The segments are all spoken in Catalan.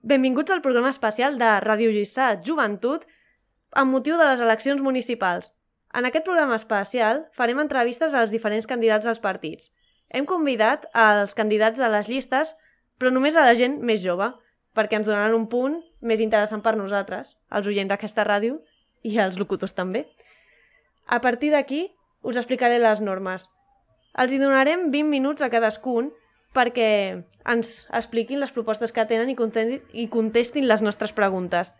Benvinguts al programa especial de Ràdio Lliçà Joventut amb motiu de les eleccions municipals. En aquest programa especial farem entrevistes als diferents candidats als partits. Hem convidat als candidats de les llistes, però només a la gent més jove, perquè ens donaran un punt més interessant per nosaltres, els oients d'aquesta ràdio i els locutors també. A partir d'aquí us explicaré les normes. Els hi donarem 20 minuts a cadascun perquè ens expliquin les propostes que tenen i contestin les nostres preguntes.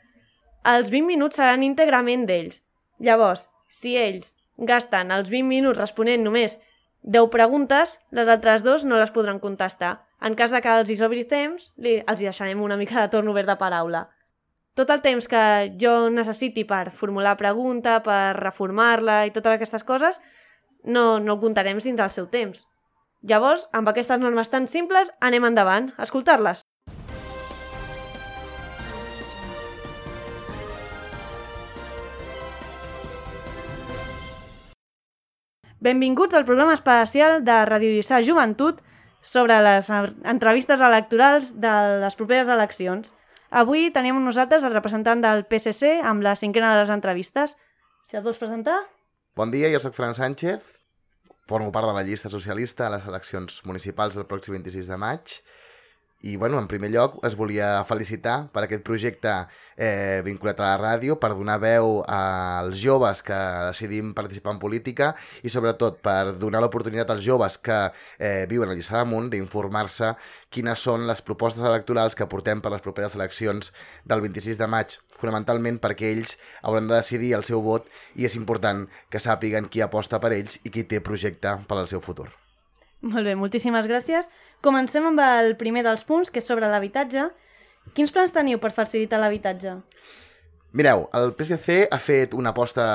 Els 20 minuts seran íntegrament d'ells. Llavors, si ells gasten els 20 minuts responent només 10 preguntes, les altres 2 no les podran contestar. En cas de que els hi sobri temps, els hi deixarem una mica de torn obert de paraula. Tot el temps que jo necessiti per formular pregunta, per reformar-la i totes aquestes coses, no ho comptarem dins del seu temps. Llavors, amb aquestes normes tan simples, anem endavant a escoltar-les. Benvinguts al programa especial de Ràdio Lliçà Joventut sobre les entrevistes electorals de les properes eleccions. Avui tenim amb nosaltres el representant del PSC amb la 5ª de les entrevistes. Si et vols presentar? Bon dia, jo soc Fran Sánchez, formo part de la llista socialista a les eleccions municipals del pròxim 26 de maig i, en primer lloc, es volia felicitar per aquest projecte vinculat a la ràdio, per donar veu als joves que decidim participar en política i, sobretot, per donar l'oportunitat als joves que viuen a Lliçà d'Amunt d'informar-se quines són les propostes electorals que portem per les properes eleccions del 26 de maig, fonamentalment perquè ells hauran de decidir el seu vot i és important que sàpiguen qui aposta per ells i qui té projecte per al seu futur. Molt bé, moltíssimes gràcies. Comencem amb el primer dels punts, que és sobre l'habitatge. Quins plans teniu per facilitar l'habitatge? Mireu, el PSC ha fet una aposta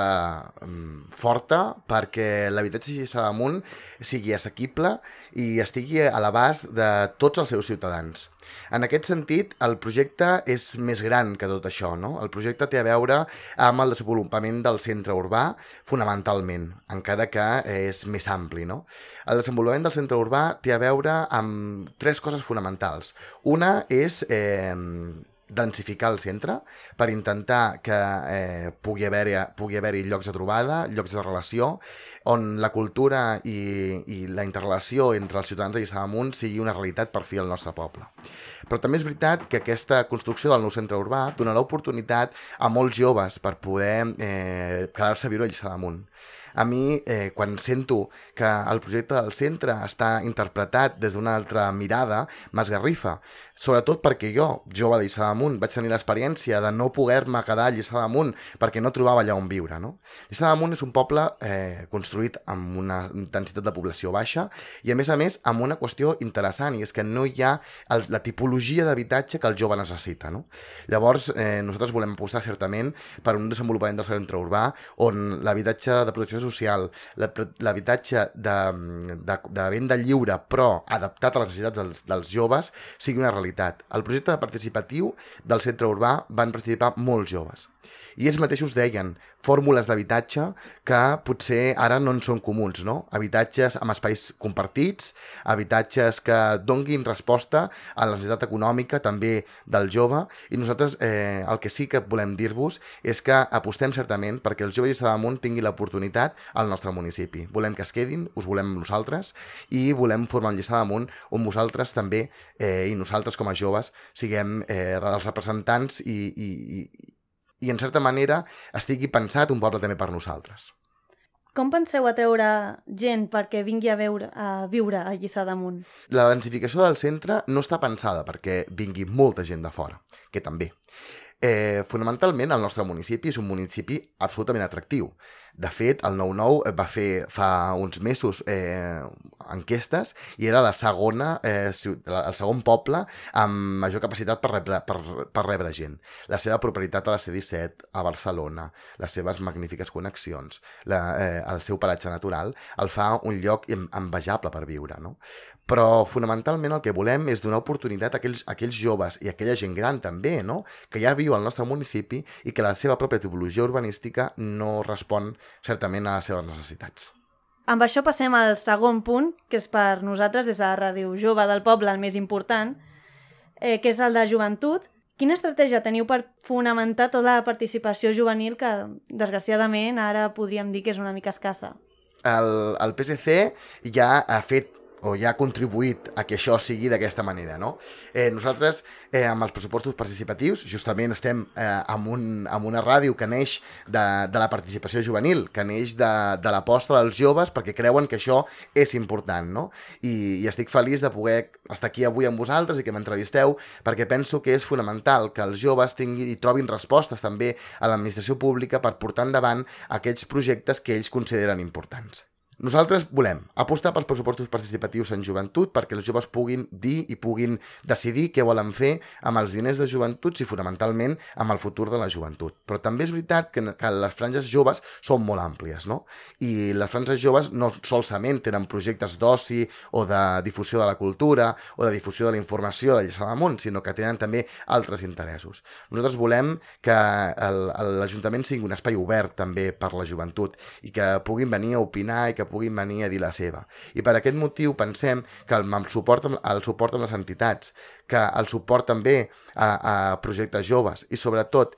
forta perquè l'habitatge a Lliçà d'Amunt sigui assequible i estigui a l'abast de tots els seus ciutadans. En aquest sentit, el projecte és més gran que tot això, no? El projecte té a veure amb el desenvolupament del centre urbà, fonamentalment, encara que és més ampli, no? El desenvolupament del centre urbà té a veure amb 3 coses fonamentals. Una és densificar el centre per intentar que pugui haver-hi llocs de trobada, llocs de relació, on la cultura i la interrelació entre els ciutadans de Lliçà d'Amunt sigui una realitat per fi al nostre poble. Però també és veritat que aquesta construcció del nou centre urbà donarà oportunitat a molts joves per poder quedar-se a viure a Lliçà d'Amunt. A mi, quan sento que el projecte del centre està interpretat des d'una altra mirada, m'esgarrifa. Sobretot perquè jo, jove de Lliçà d'Amunt, vaig tenir l'experiència de no poder-me quedar a Lliçà d'Amunt perquè no trobava allà on viure, no? Lliçà d'Amunt és un poble construït amb una densitat de població baixa i, a més, amb una qüestió interessant, i és que no hi ha la tipologia d'habitatge que el jove necessita, no? Llavors, nosaltres volem apostar certament per un desenvolupament del centre urbà on l'habitatge de protecció social, l'habitatge de venda lliure però adaptat a les necessitats dels joves sigui una realitat. Al projecte participatiu del centre urbà van participar molts joves i ells mateixos deien fórmules d'habitatge que potser ara no en són comuns, no? Habitatges amb espais compartits, habitatges que donguin resposta a la necessitat econòmica també del jove, i nosaltres el que sí que volem dir-vos és que apostem certament perquè els joves de Lliçà d'Amunt tinguin l'oportunitat al nostre municipi. Volem que es quedin, us volem nosaltres i volem formar un Lliçà d'Amunt on vosaltres també i nosaltres com a joves siguem els representants i en certa manera estigui pensat un poble també per nosaltres. Com penseu atreure gent perquè vingui a viure a Lliçà d'Amunt? La densificació del centre no està pensada perquè vingui molta gent de fora, que també. Fonamentalment, el nostre municipi és un municipi absolutament atractiu. De fet, el 9-9 va fer fa uns mesos enquestes i era el segon poble amb major capacitat per rebre gent. La seva propietat a la C-17, a Barcelona, les seves magnífiques connexions, el seu paratge natural, el fa un lloc envejable per viure, no? Però fonamentalment el que volem és donar oportunitat a aquells joves i a aquella gent gran també, no? Que ja viu al nostre municipi i que la seva pròpia tipologia urbanística no respon certament a les seves necessitats. Amb això passem al segon punt, que és per nosaltres, des de la Ràdio Jove del Poble, el més important, que és el de joventut. Quina estratègia teniu per fonamentar tota la participació juvenil que, desgraciadament, ara podríem dir que és una mica escassa? El PSC ja ha fet o ja ha contribuït a que això sigui d'aquesta manera, no? Nosaltres, amb els pressupostos participatius, justament estem amb una ràdio que neix de la participació juvenil, que neix de l'aposta dels joves perquè creuen que això és important, no? I estic feliç de poder estar aquí avui amb vosaltres i que m'entrevisteu, perquè penso que és fonamental que els joves tinguin i trobin respostes també a l'administració pública per portar endavant aquests projectes que ells consideren importants. Nosaltres volem apostar pels pressupostos participatius en joventut perquè els joves puguin dir i puguin decidir què volen fer amb els diners de joventut i fonamentalment amb el futur de la joventut. Però també és veritat que les franges joves són molt àmplies, no? I les franges joves no solament tenen projectes d'oci o de difusió de la cultura o de difusió de la informació de Lliçà d'Amunt, sinó que tenen també altres interessos. Nosaltres volem que l'Ajuntament sigui un espai obert també per la joventut i que puguin venir a opinar i que puguin venir a dir la seva. I per aquest motiu pensem que el suport amb les entitats, que el suport també a projectes joves i sobretot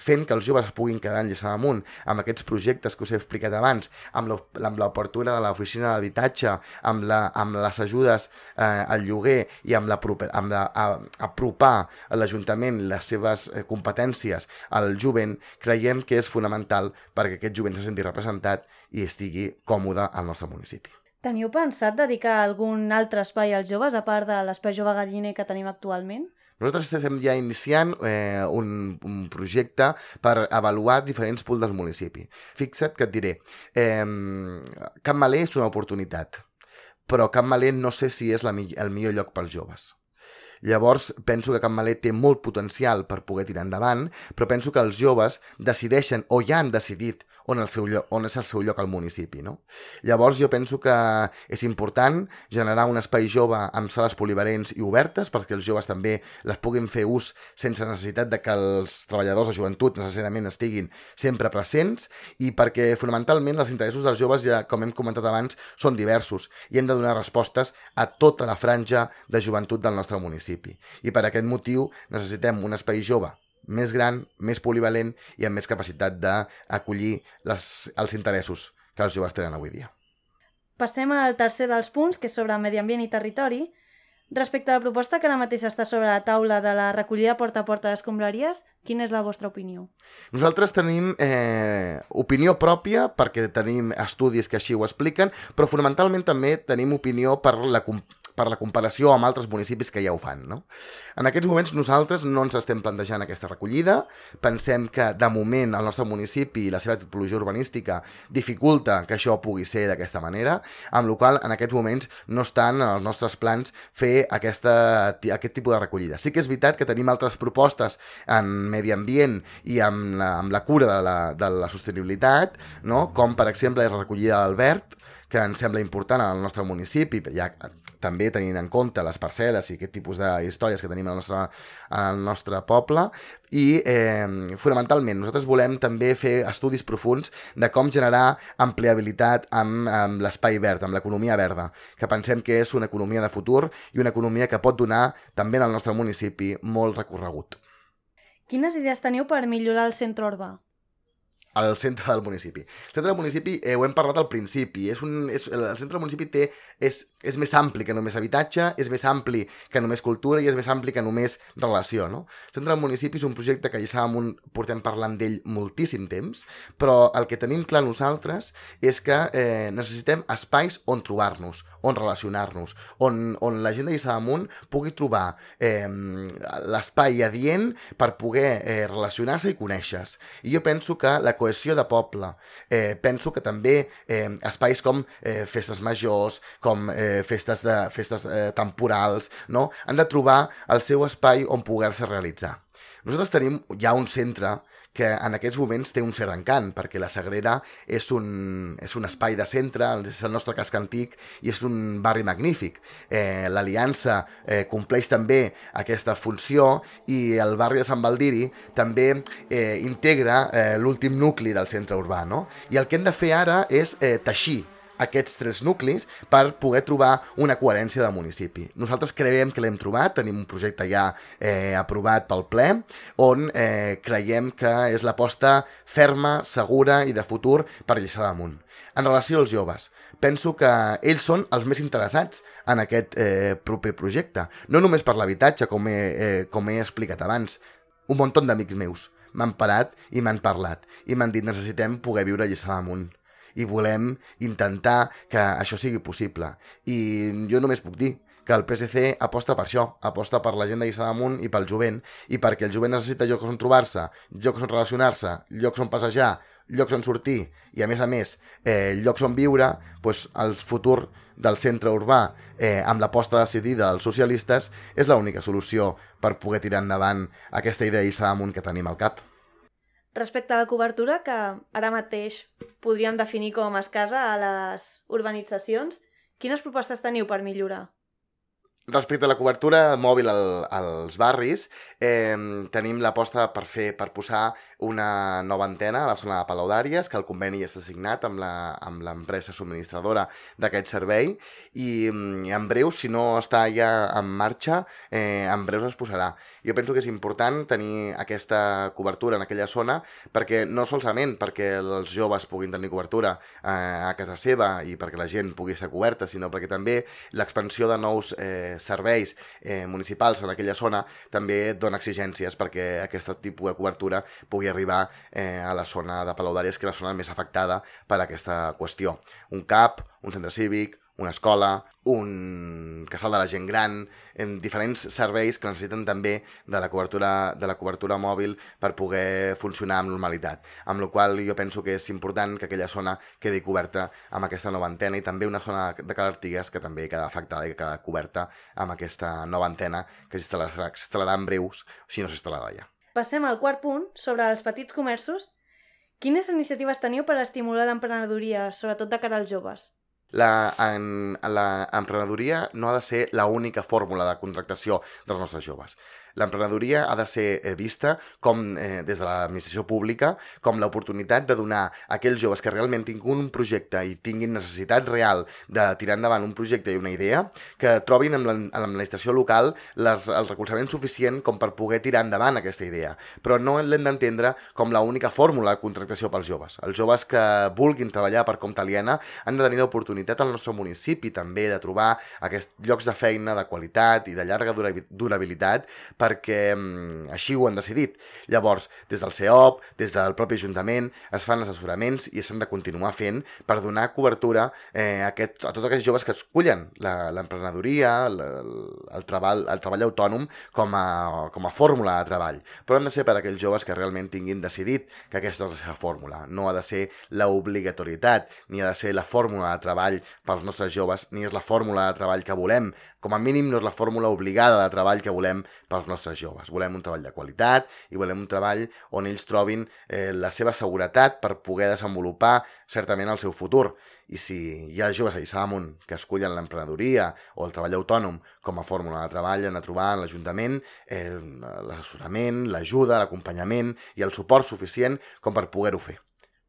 fent que els joves es puguin quedar en Lliçà d'Amunt amb aquests projectes que us he explicat abans, amb l'obertura de l'oficina d'habitatge, amb les ajudes al lloguer i amb apropar a l'Ajuntament les seves competències al jovent, creiem que és fonamental perquè aquest jovent se senti representat i estigui còmode al nostre municipi. Teniu pensat dedicar algun altre espai als joves, a part de l'Espai Jove Galliner que tenim actualment? Nosaltres estem ja iniciant un projecte per avaluar diferents punts del municipi. Fixa't que et diré, Can Maler és una oportunitat, però Can Maler no sé si és el millor lloc pels joves. Llavors, penso que Can Maler té molt potencial per poder tirar endavant, però penso que els joves decideixen o ja han decidit on és el seu lloc al municipi, no? Llavors jo penso que és important generar un espai jove amb sales polivalents i obertes perquè els joves també les puguin fer ús sense necessitat de que els treballadors de joventut necessàriament estiguin sempre presents i perquè fonamentalment els interessos dels joves, ja com hem comentat abans, són diversos i hem de donar respostes a tota la franja de joventut del nostre municipi. I per aquest motiu necessitem un espai jove més gran, més polivalent i amb més capacitat d'acollir els interessos que els joves tenen avui dia. Passem al tercer dels punts, que és sobre medi ambient i territori. Respecte a la proposta que ara mateix està sobre la taula de la recollida porta a porta d'escombraries, quina és la vostra opinió? Nosaltres tenim opinió pròpia perquè tenim estudis que així ho expliquen, però fonamentalment també tenim opinió per la comparació amb altres municipis que ja ho fan, no? En aquests moments nosaltres no ens estem plantejant aquesta recollida, pensem que de moment el nostre municipi i la seva tipologia urbanística dificulta que això pugui ser d'aquesta manera, amb la qual cosa en aquests moments no estan en els nostres plans fer aquest tipus de recollida. Sí que és veritat que tenim altres propostes en medi ambient i amb la cura de la sostenibilitat, no? Com per exemple la recollida del verd, que ens sembla important al nostre municipi, ja també tenint en compte les parcel·les i aquest tipus d'històries que tenim al nostre poble, i fonamentalment nosaltres volem també fer estudis profuns de com generar ampliabilitat amb l'espai verd, amb l'economia verda, que pensem que és una economia de futur i una economia que pot donar també al nostre municipi molt recorregut. Quines idees teniu per millorar el centre urbà? Al centre del municipi. El centre del municipi, ho hem parlat al principi, el centre del municipi és més ampli que només habitatge, és més ampli que només cultura i és més ampli que només relació, no? El centre del municipi és un projecte que ja portem parlant d'ell moltíssim temps, però el que tenim clar nosaltres és que necessitem espais on trobar-nos, on relacionar-nos, on la gent de Lliçà d'Amunt pugui trobar l'espai adient per poder relacionar-se i conèixer-se. I jo penso que la cohesió de poble, penso que també espais com festes majors, com festes temporals, no? Han de trobar el seu espai on poder-se realitzar. Nosaltres tenim ja un centre que en aquests moments té un cert encant, perquè la Sagrera és un espai de centre, és el nostre casc antic i és un barri magnífic. L'Aliança compleix també aquesta funció i el barri de Sant Baldiri també integra l'últim nucli del centre urbà, no? I el que hem de fer ara és teixir aquests 3 nuclis per poder trobar una coherència de municipi. Nosaltres creiem que l'hem trobat, tenim un projecte ja aprovat pel ple, on creiem que és l'aposta ferma, segura i de futur per Lliçà d'Amunt. En relació als joves, penso que ells són els més interessats en aquest proper projecte. No només per l'habitatge, com he explicat abans. Un munt d'amics meus m'han parat i m'han parlat i m'han dit necessitem poder viure a Lliçà d'Amunt i volem intentar que això sigui possible. I jo només puc dir que el PSC aposta per això, aposta per la gent de Lliçà d'Amunt i pel jovent, i perquè el jovent necessita llocs on trobar-se, llocs on relacionar-se, llocs on passejar, llocs on sortir i, a més, llocs on viure, doncs el futur del centre urbà amb l'aposta decidida dels socialistes és l'única solució per poder tirar endavant aquesta idea de Lliçà d'Amunt que tenim al cap. Respecte a la cobertura, que ara mateix podríem definir com escassa a les urbanitzacions, quines propostes teniu per millorar? Respecte a la cobertura mòbil als barris, tenim l'aposta per posar una nova antena a la zona de Palau d'Àries, que el conveni ja està signat amb l'empresa subministradora d'aquest servei, i en breu, si no està ja en marxa, en breu es posarà. Jo penso que és important tenir aquesta cobertura en aquella zona, perquè no solament perquè els joves puguin tenir cobertura a casa seva i perquè la gent pugui ser coberta, sinó perquè també l'expansió de nous serveis municipals en aquella zona també dona exigències perquè aquest tipus de cobertura pugui arribar a la zona de Palau d'Àries, que és la zona més afectada per aquesta qüestió. Un CAP, un centre cívic, una escola, un casal de la gent gran, en diferents serveis que necessiten també de la cobertura mòbil per poder funcionar amb normalitat. Amb la qual jo penso que és important que aquella zona quedi coberta amb aquesta nova antena i també una zona de Cal Artigas que també queda afectada i que queda coberta amb aquesta nova antena que s'instal·larà en breus, si no s'instal·larà ja. Passem al quart punt, sobre els petits comerços. Quines iniciatives teniu per estimular l'emprenedoria, sobretot de cara als joves? L'emprenedoria no ha de ser l'única fórmula de contractació dels nostres joves. L'emprenedoria ha de ser vista com, des de l'administració pública, com l'oportunitat de donar a aquells joves que realment tinguin un projecte i tinguin necessitat real de tirar endavant un projecte i una idea, que trobin en l'administració local el recolzament suficient com per poder tirar endavant aquesta idea. Però no l'hem d'entendre com l'única fórmula de contractació pels joves. Els joves que vulguin treballar per compte aliena han de tenir l'oportunitat al nostre municipi també de trobar aquests llocs de feina de qualitat i de llarga durabilitat, perquè així ho han decidit. Llavors, des del CEOP, des del propi Ajuntament, es fan assessoraments i s'han de continuar fent per donar cobertura a tots aquests joves que escullen l'emprenedoria, el treball autònom com a fórmula de treball. Però han de ser per a aquells joves que realment tinguin decidit que aquesta és la seva fórmula. No ha de ser l'obligatorietat, ni ha de ser la fórmula de treball pels nostres joves, ni és la fórmula de treball que volem. Com a mínim no és la fórmula obligada de treball que volem pels nostres joves. Volem un treball de qualitat i volem un treball on ells trobin la seva seguretat per poder desenvolupar certament el seu futur. I si hi ha joves a Lliçà d'Amunt que escullen l'emprenedoria o el treball autònom com a fórmula de treball, han de trobar en l'Ajuntament l'assessorament, l'ajuda, l'acompanyament i el suport suficient com per poder-ho fer,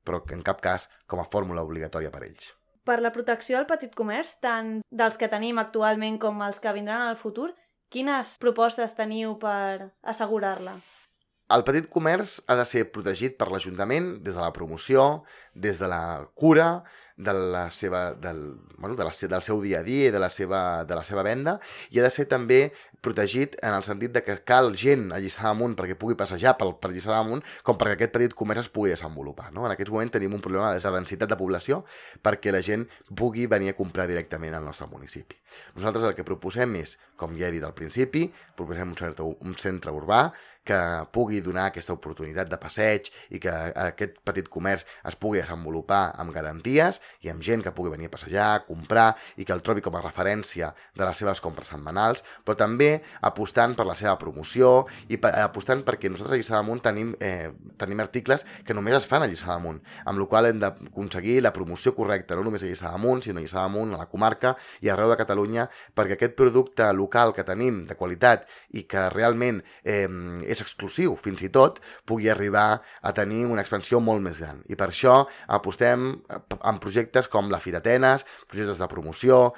però en cap cas com a fórmula obligatòria per ells. Per la protecció del petit comerç, tant dels que tenim actualment com els que vindran al futur, quines propostes teniu per assegurar-la? El petit comerç ha de ser protegit per l'Ajuntament des de la promoció, des de la cura, del seu dia a dia i de la seva venda, i ha de ser també protegit en el sentit de que cal gent a Lliçà d'Amunt perquè pugui passejar per Lliçà d'Amunt com perquè aquest petit comerç es pugui desenvolupar. No? En aquests moments tenim un problema de densitat de població perquè la gent pugui venir a comprar directament al nostre municipi. Nosaltres el que proposem és, com ja he dit al principi, proposem un centre urbà que pugui donar aquesta oportunitat de passeig i que aquest petit comerç es pugui desenvolupar amb garanties i amb gent que pugui venir a passejar, comprar i que el trobi com a referència de les seves compres setmanals, però també apostant per la seva promoció i apostant perquè nosaltres a Lliçà d'Amunt tenim articles que només es fan a Lliçà d'Amunt, amb la qual hem d'aconseguir la promoció correcta, no només a Lliçà d'Amunt, sinó a Lliçà d'Amunt, a la comarca i arreu de Catalunya, perquè aquest producte local que tenim de qualitat i que realment és exclusiu, fins i tot, pugui arribar a tenir una expansió molt més gran. I per això apostem en projectes com la Fira Atenes, projectes de promoció,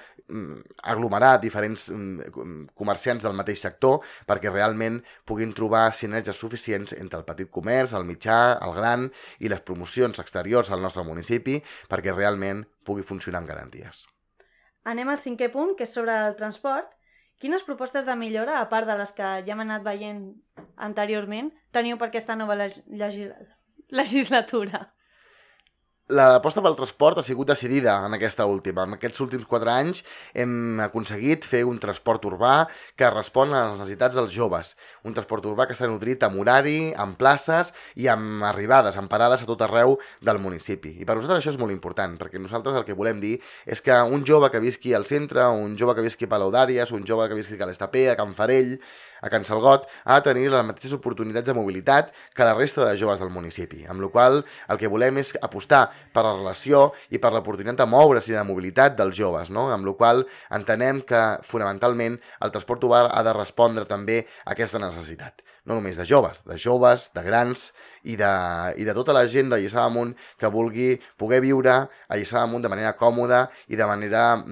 aglomerar diferents comerciants del mateix sector perquè realment puguin trobar sinergies suficients entre el petit comerç, el mitjà, el gran i les promocions exteriors al nostre municipi perquè realment pugui funcionar amb garanties. Anem al 5è punt, que és sobre el transport. Quines propostes de millora, a part de les que ja hem anat veient anteriorment, teniu per aquesta nova legislatura? L'aposta pel transport ha sigut decidida en aquesta última. En aquests últims 4 anys hem aconseguit fer un transport urbà que respon a les necessitats dels joves. Un transport urbà que està nodrit amb horari, amb places i amb arribades, amb parades a tot arreu del municipi. I per nosaltres això és molt important, perquè nosaltres el que volem dir és que un jove que visqui al centre, un jove que visqui a Palau d'Àries, un jove que visqui a l'Estapé, a Can Farell, a Can Salgot, ha de tenir les mateixes oportunitats de mobilitat que la resta de joves del municipi, amb la qual el que volem és apostar per la relació i per l'oportunitat de moure's i de mobilitat dels joves, no? Amb la qual entenem que fonamentalment el transport urbà ha de respondre també a aquesta necessitat. No només de joves, de grans i de tota la gent de Lliçà d'Amunt que vulgui poder viure a Lliçà d'Amunt de manera còmoda i de manera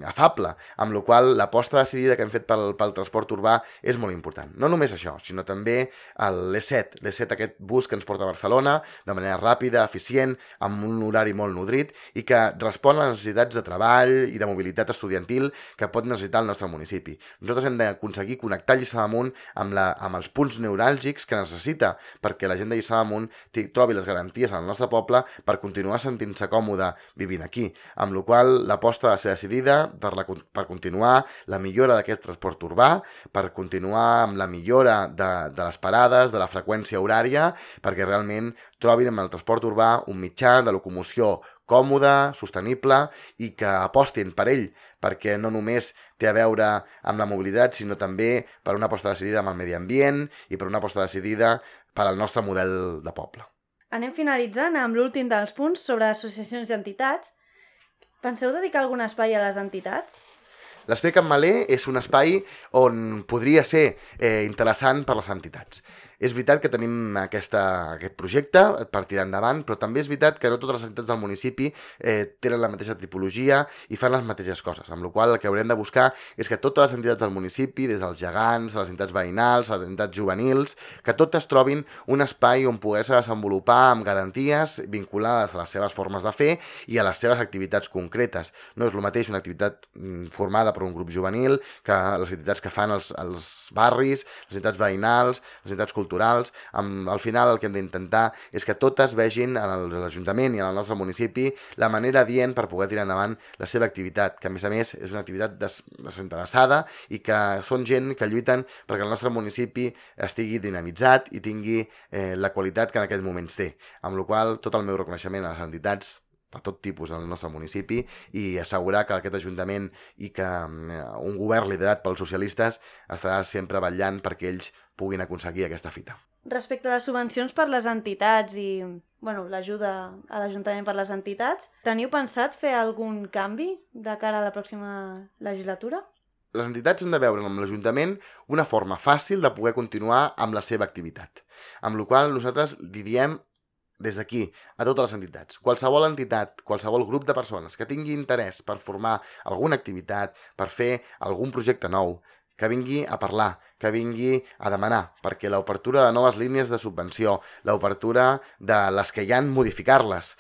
afable, amb la qual l'aposta decidida que hem fet pel transport urbà és molt important. No només això, sinó també l'E7, aquest bus que ens porta a Barcelona de manera ràpida, eficient, amb un horari molt nodrit i que respon a les necessitats de treball i de mobilitat estudiantil que pot necessitar el nostre municipi. Nosaltres hem d'aconseguir connectar Lliçà d'Amunt amb els punts neuràlgics que necessita perquè la gent de Lliçà d'Amunt trobi les garanties al nostre poble per continuar sentint-se còmode vivint aquí, amb la qual l'aposta ha de ser decidida per continuar la millora d'aquest transport urbà, per continuar amb la millora de les parades, de la freqüència horària, perquè realment trobin amb el transport urbà un mitjà de locomoció còmode, sostenible i que apostin per ell, perquè no només té a veure amb la mobilitat, sinó també per una aposta decidida amb el medi ambient i per una aposta decidida per al nostre model de poble. Anem finalitzant amb l'últim dels punts sobre associacions i entitats. Penseu dedicar algun espai a les entitats? L'Espai Can Maler és un espai on podria ser interessant per les entitats. És veritat que tenim aquest projecte per tirar endavant, però també és veritat que no totes les entitats del municipi tenen la mateixa tipologia i fan les mateixes coses, amb la qual el que haurem de buscar és que totes les entitats del municipi, des dels gegants, les entitats veïnals, les entitats juvenils, que totes trobin un espai on poder-se desenvolupar amb garanties vinculades a les seves formes de fer i a les seves activitats concretes. No és el mateix una activitat formada per un grup juvenil que les entitats que fan els barris, les entitats veïnals, les entitats culturals. Al final el que hem d'intentar és que totes vegin a l'Ajuntament i al nostre municipi la manera adient per poder tirar endavant la seva activitat, que a més és una activitat desinteressada i que són gent que lluiten perquè el nostre municipi estigui dinamitzat i tingui la qualitat que en aquests moments té, amb la qual tot el meu reconeixement a les entitats de tot tipus al nostre municipi i assegurar que aquest Ajuntament i que un govern liderat pels socialistes estarà sempre vetllant perquè ells puguin aconseguir aquesta fita. Respecte a les subvencions per les entitats i l'ajuda a l'Ajuntament per les entitats, teniu pensat fer algun canvi de cara a la pròxima legislatura? Les entitats han de veure amb l'Ajuntament una forma fàcil de poder continuar amb la seva activitat, amb la qual nosaltres li diem des d'aquí a totes les entitats. Qualsevol entitat, qualsevol grup de persones que tingui interès per formar alguna activitat, per fer algun projecte nou, que vingui a parlar, que vingui a demanar, perquè l'obertura de noves línies de subvenció, l'obertura de les que hi ha, modificar-les.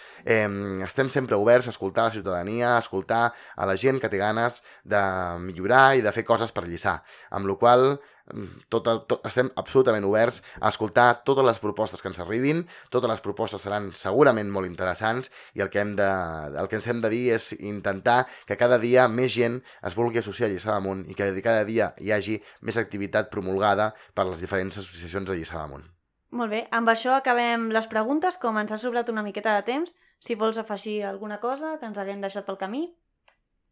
Estem sempre oberts a escoltar la ciutadania, a escoltar a la gent que té ganes de millorar i de fer coses per Lliçà, amb la qual estem absolutament oberts a escoltar totes les propostes que ens arribin, totes les propostes seran segurament molt interessants i el que ens hem de dir és intentar que cada dia més gent es vulgui associar a Lliçà d'Amunt i que cada dia hi hagi més activitat promulgada per les diferents associacions de Lliçà d'Amunt. Molt bé, amb això acabem les preguntes, com ens ha sobrat una miqueta de temps. Si vols afegir alguna cosa que ens haguem deixat pel camí,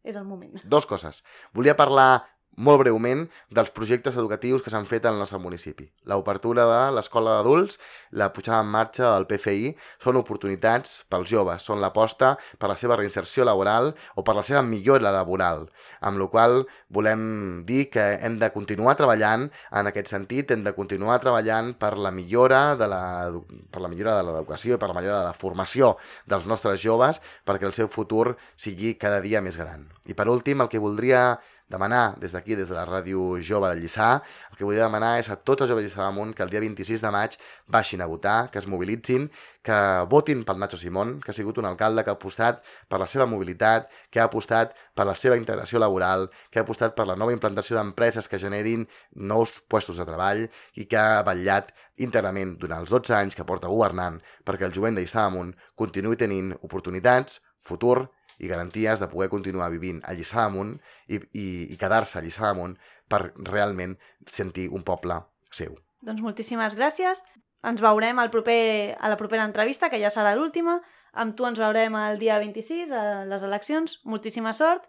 és el moment. 2 coses. Volia parlar molt breument dels projectes educatius que s'han fet al nostre municipi. L'obertura de l'escola d'adults, la pujada en marxa del PFI, són oportunitats pels joves, són l'aposta per la seva reinserció laboral o per la seva millora laboral, amb la qual volem dir que hem de continuar treballant en aquest sentit, hem de continuar treballant per la millora de l'educació i per la millora de la formació dels nostres joves perquè el seu futur sigui cada dia més gran. I per últim, el que voldria demanar des d'aquí, des de la Ràdio Jove de Lliçà, el que volia demanar és a tots els joves de Lliçà d'Amunt que el dia 26 de maig baixin a votar, que es mobilitzin, que votin pel Nacho Simón, que ha sigut un alcalde que ha apostat per la seva mobilitat, que ha apostat per la seva integració laboral, que ha apostat per la nova implantació d'empreses que generin nous puestos de treball i que ha vetllat íntegrament durant els 12 anys que porta governant perquè el jovent de Lliçà d'Amunt continuï tenint oportunitats, futur i garanties de poder continuar vivint a Lliçà d'Amunt i quedar-se a Lliçà d'Amunt per realment sentir un poble seu. Doncs moltíssimes gràcies. Ens veurem a la propera entrevista, que ja serà l'última. Amb tu ens veurem el dia 26, a les eleccions. Moltíssima sort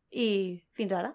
i fins ara.